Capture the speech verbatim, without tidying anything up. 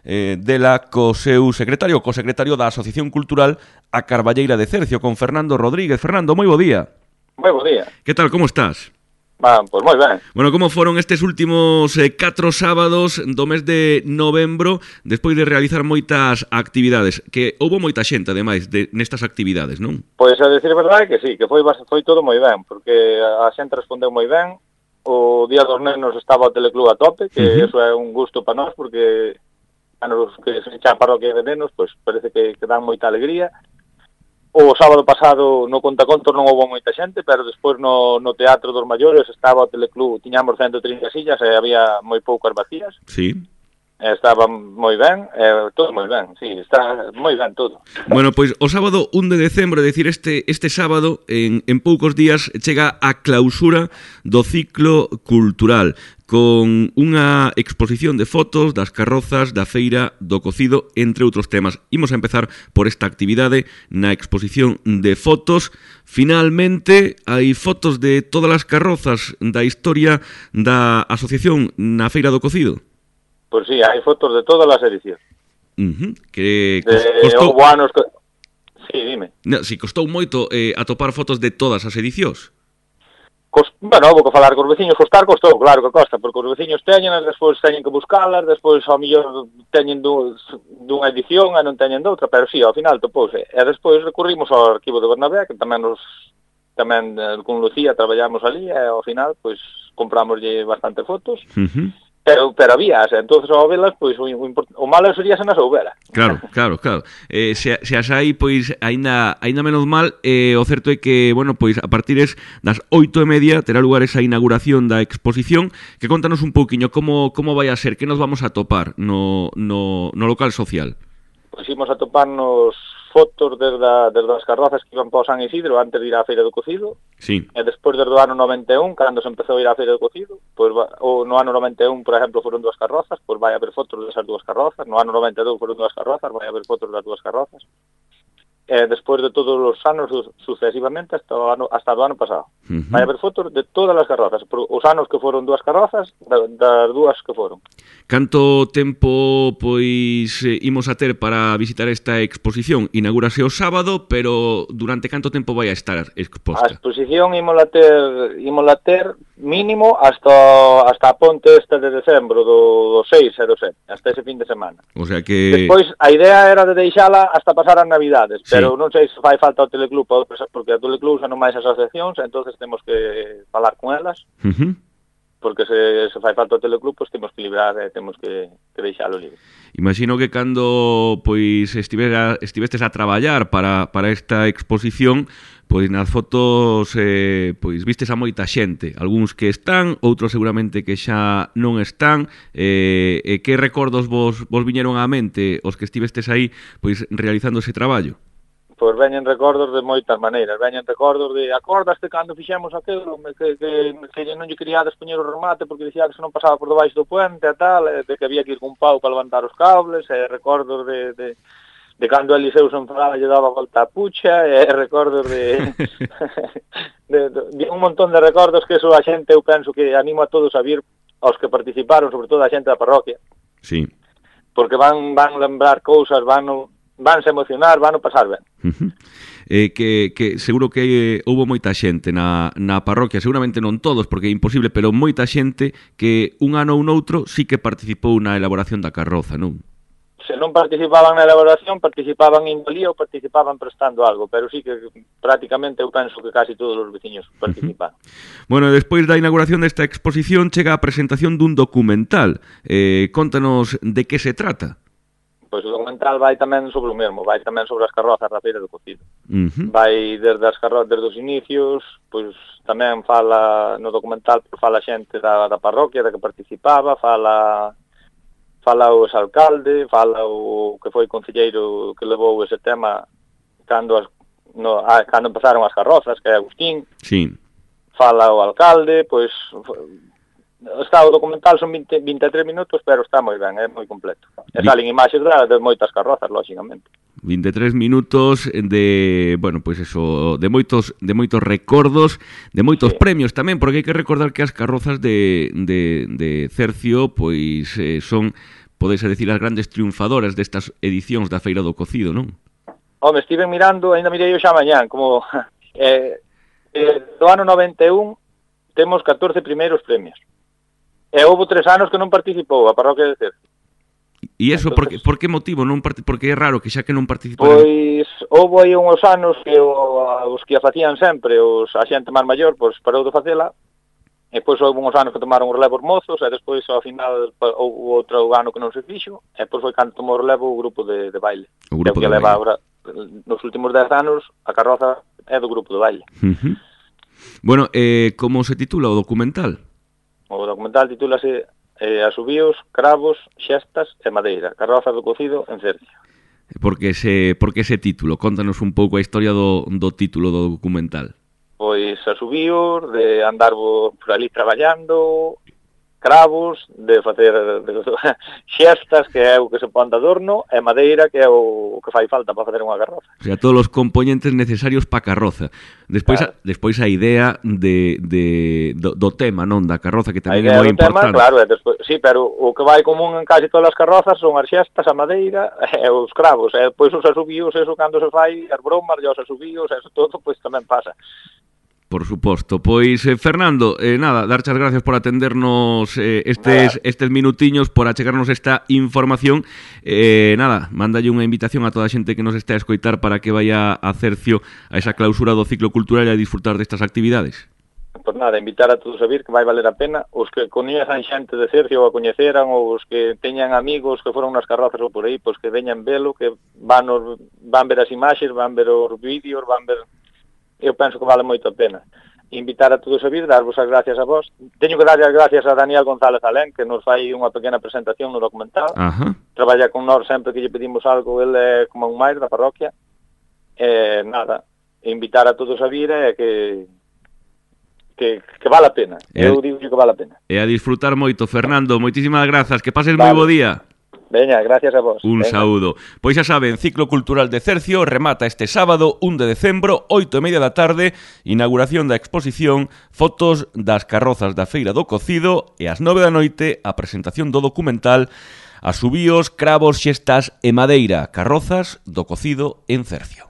eh, dela co seu secretario, co secretario da Asociación Cultural A Carballeira de Cercio, con Fernando Rodríguez. Fernando, moi bo día. Moi bo día. Que tal, como estás? Va, pois moi ben. Bueno, como foron estes últimos eh, catro sábados do mes de novembro, despois de realizar moitas actividades, que houbo moita xente, ademais, de, nestas actividades, non? Pois a decir a verdade que sí, que foi, foi todo moi ben, porque a xente respondeu moi ben. O Día dos Nenos estaba o Teleclub a tope, que uh-huh. eso é un gusto para nós, porque a nos que se echa a parroquia de nenos, pois parece que, que dan moita alegría. O sábado pasado no Contacontos non houve moita xente, pero despois no, no Teatro dos Maiores estaba o Teleclub, tiñamos ciento trinta sillas e había moi poucas vacías. Sí. Estaba moi ben, eh, todo moi ben, sí, está moi ben todo. Bueno, pois o sábado un de decembro, é dicir, este, este sábado, en, en poucos días, chega a clausura do ciclo cultural, con unha exposición de fotos das carrozas da Feira do Cocido, entre outros temas. Imos a empezar por esta actividade na exposición de fotos. Finalmente, hai fotos de todas as carrozas da historia da asociación na Feira do Cocido. Pois sí, hai fotos de todas as edicións. Uh-huh. Que de costou... anos que... Sí, dime. No, si costou moito eh, atopar fotos de todas as edicións. Cost... Bueno, vou que falar cos veciños, costar costou, claro que costa, porque os veciños teñen, despois teñen que buscalas, despois ao mellor teñen dun, dunha edición e non teñen doutra, pero sí, ao final topouse. E despois recurrimos ao arquivo de Bernabé, que tamén nos tamén con Lucía traballamos ali, e ao final, pois, compramoslle bastante fotos. Uh-huh. Pero, pero había, entonces ao velas, pois o, o, o malo sería se nas houbera. Claro, claro, claro. Eh, se, se as hai, pois, aínda, aínda menos mal, eh, o certo é que, bueno, pois, a partir das oito e media terá lugar esa inauguración da exposición, que contanos un pouquiño como, como vai a ser, que nos vamos a topar no, no, no local social. Pois imos a toparnos fotos desde, a, desde as carrozas que iban para o San Isidro antes de ir á Feira do Cocido. Sí. E despois desde o ano noventa e un, cando se empezou a ir á Feira do Cocido, pois, ou no ano noventa e un, por exemplo, foron dúas carrozas, pois vai haber fotos desas dúas carrozas. No ano noventa e dous foron dúas carrozas, vai haber fotos das dúas carrozas. E despois de todos os anos sucesivamente hasta o ano, hasta o ano pasado. Uh-huh. Vai haber fotos de todas as carrozas, os anos que foron dúas carrozas, das dúas que foron. Canto tempo pois imos a ter para visitar esta exposición? Inaugúrase o sábado, pero durante canto tempo vai a estar exposta? A exposición ímola ter, ímola ter mínimo hasta hasta a ponte esta de decembro do, do seis e do sete, hasta ese fin de semana. O sea que... Despois a idea era de deixala hasta pasar as Navidades, sí. Pero non sei se fai falta o Teleclub, porque a Teleclub xa non máis asociacións, entonces temos que falar con elas, uh-huh. Porque se, se fai falta o Teleclub, pois temos que librar e temos que, que deixalo libre. Imagino que cando pois estivera, estivestes a traballar para, para esta exposición, pois nas fotos eh, pois vistes a moita xente, algúns que están, outros seguramente que xa non están. Eh, e que recordos vos, vos viñeron á mente os que estivestes aí pois realizando ese traballo? Pois veñen recordos de moitas maneiras, veñen recordos de acordaste cando fixemos aquilo, que, que, que non lle queríades poñer o remate porque dicía que se non pasaba por debaixo do puente e tal, e de que había que ir con pau para levantar os cables, e recordos de, de, de cando Eliseu se enfadaba lle daba volta a pucha, e recordos de, de, de, de un montón de recordos que eso a xente, eu penso que animo a todos a vir, aos que participaron, sobre todo a xente da parroquia. Sí. Porque van, van lembrar cousas, van no, vanse emocionar, van a pasar ben. Uh-huh. Eh, que, que seguro que eh, houve moita xente na, na parroquia, seguramente non todos, porque é imposible, pero moita xente que un ano ou noutro sí que participou na elaboración da carroza, non? Se non participaban na elaboración, participaban en valía ou participaban prestando algo, pero sí que prácticamente eu penso que casi todos os veciños participaron. Uh-huh. Bueno, despois da inauguración desta exposición chega a presentación dun documental. Eh, contanos de que se trata. Pois o documental vai tamén sobre o mesmo, vai tamén sobre as carrozas da Feira do Cocido. Uh-huh. Vai desde as carrozas, desde os inicios, pois tamén fala no documental, pois fala xente da, da parroquia, da que participaba, fala fala o exalcalde, fala o que foi concelleiro que levou ese tema cando as, no, a, cando empezaron as carrozas, que é Agustín. Sí. Fala o alcalde, pois está o documental, son vinte, vinte e tres minutos, pero está moi ben, é moi completo. E salen imaxes de, de moitas carrozas, lógicamente. vinte e tres minutos de, bueno, pois pues eso, de moitos de moitos recordos, de moitos sí. premios tamén, porque hai que recordar que as carrozas de, de, de Cercio, pois eh, son podes decir, as grandes triunfadoras destas edicións da Feira do Cocido, non? Home, estive mirando, ainda mirei hoxe a mañán, como eh, eh, do ano noventa e un temos catorce primeiros premios. E houve tres anos que non participou a parroquia de Cercio. E iso, por, por que motivo? Non part... Porque é raro que xa que non participaran... Pois, houve aí uns anos que o, os que a facían sempre, os, a xente máis maior, pois parou de facela, e depois houve uns anos que tomaron o relevo os mozos, e despois, ao final, houve outro ano que non se fixo, e depois foi cando tomou o relevo o grupo de, de baile. O grupo que de leva baile. Agora, nos últimos dez anos, a carroza é do grupo de baile. Uh-huh. Bueno, eh, como se titula o documental? O documental titúlase eh, Asubíos, Cravos, Xestas e Madeira, Carroza do Cocido en Cercio. Por que ese, por que ese título? Contanos un pouco a historia do, do título do documental. Pois asubíos, de andar por ali traballando, cravos, de facer de, de, xestas, que é o que se pon de adorno, e madeira, que é o que fai falta para facer unha carroza. O sea, todos os componentes necesarios para a carroza. Despois, claro. a, despois a idea de, de, do, do tema, non? Da carroza, que tamén é moi importante. Tema, claro, é despois, sí, pero o que vai común en casi todas as carrozas son as xestas, a madeira e os cravos. E depois os asubíos, eso cando se fai, as bromas e os asubíos, eso todo, pois tamén pasa. Por suposto. Pois, eh, Fernando, eh, nada, darche as gracias por atendernos eh, estes, estes minutiños, por achegarnos esta información. Eh, nada, mándalle unha invitación a toda a xente que nos está a escoitar para que vaya a Cercio a esa clausura do ciclo cultural e a disfrutar destas actividades. Por nada, invitar a todos a vir, que vai valer a pena. Os que coñezan xente de Cercio ou a coñeceran, ou os que teñan amigos que foron nas carrozas ou por aí, pois que veñan velo, que van, os, van ver as imaxes, van ver os vídeos, van ver... Eu penso que vale moito a pena. Invitar a todos a vir, darvos as gracias a vos. Teño que darlle as gracias a Daniel González Alén, que nos fai unha pequena presentación no documental. Ajá. Traballa con nós sempre que lle pedimos algo, ele é como un máis da parroquia. E nada, invitar a todos a vir é que que, que vale a pena. E Eu digo que vale a pena. E a disfrutar moito, Fernando. Moitísimas grazas. Que pases vale. moi bo día. Veña, gracias a vos. Un Venga. saúdo. Pois xa saben, Ciclo Cultural de Cercio remata este sábado, un de decembro, oito e media da tarde, inauguración da exposición, fotos das carrozas da Feira do Cocido e ás nove da noite a presentación do documental Asubíos, Cravos, Xestas e Madeira, carrozas do Cocido en Cercio.